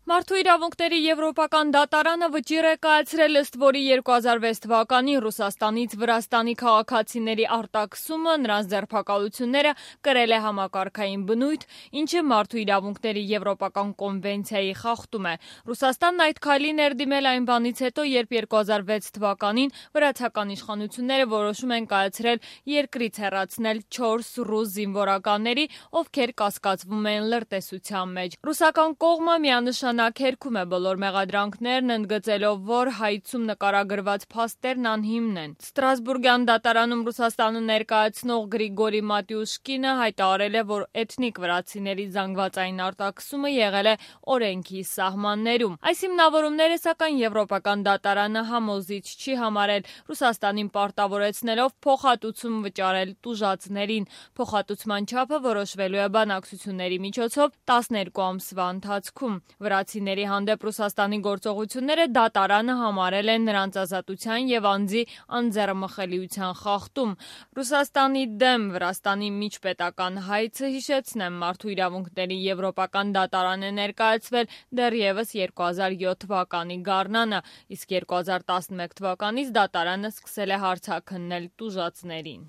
Մարդու իրավունքների եվրոպական դատարանը վճիռ է կայացրել, ըստ որի 2006 թվականին Ռուսաստանից Վրաստանի քաղաքացիների արտաքսումը, նրանց ձերբակալությունները կրել է համակարգային բնույթ, ինչը Մարդու իրավունքների եվրոպական կոնվենցիայի խախտում է։ Ռուսաստանն այդ քայլին ներդիմել այն բանից հետո, երբ 2006 թվականին վրացական իշխանությունները որոշում են կայացրել երկրից հեռացնել 4 ռուս զինվորականների, ովքեր կասկածվում են լրտեսության մեջ։ Ռուսական կողմը միանշանակ հերքում է բոլոր մեղադրանքներն, ընդգծելով, որ հայցում նկարագրված փաստերն անհիմն են։ Ստրասբուրգյան դատարանում Ռուսաստանը ներկայացնող Գրիգորի Մատյուշկինը հայտարարել է, որ էթնիկ վրացիների զանգվածային արտաքսումը եղել է օրենքի սահմաններում։ Այս հիմնավորումները, սակայն, Եվրոպական դատարանը համոզիչ չի համարել, Ռուսաստանին պարտավորեցնելով փոխհատուցում վճարել տուժածներին։ Փոխհատուցման չափը որոշվելու է բանակցությունների միջոցով 12 ամսվա ընթացքում։ Վրացիների հանդեպ Ռուսաստանի գործողությունները դատարանը համարել են նրանց ազատության և անձի անձեռամխելիության խախտում։ Ռուսաստանի դեմ Վրաստանի միջպետական հայցը, հիշեցնեմ, Մարդու իրավունքների եվրոպական դատարան է ներկայացվել դեռևս 2007 թվականի գարնանը, իսկ 2011 թվականից դատարանը սկսել է հարցաքննել տուժածներին։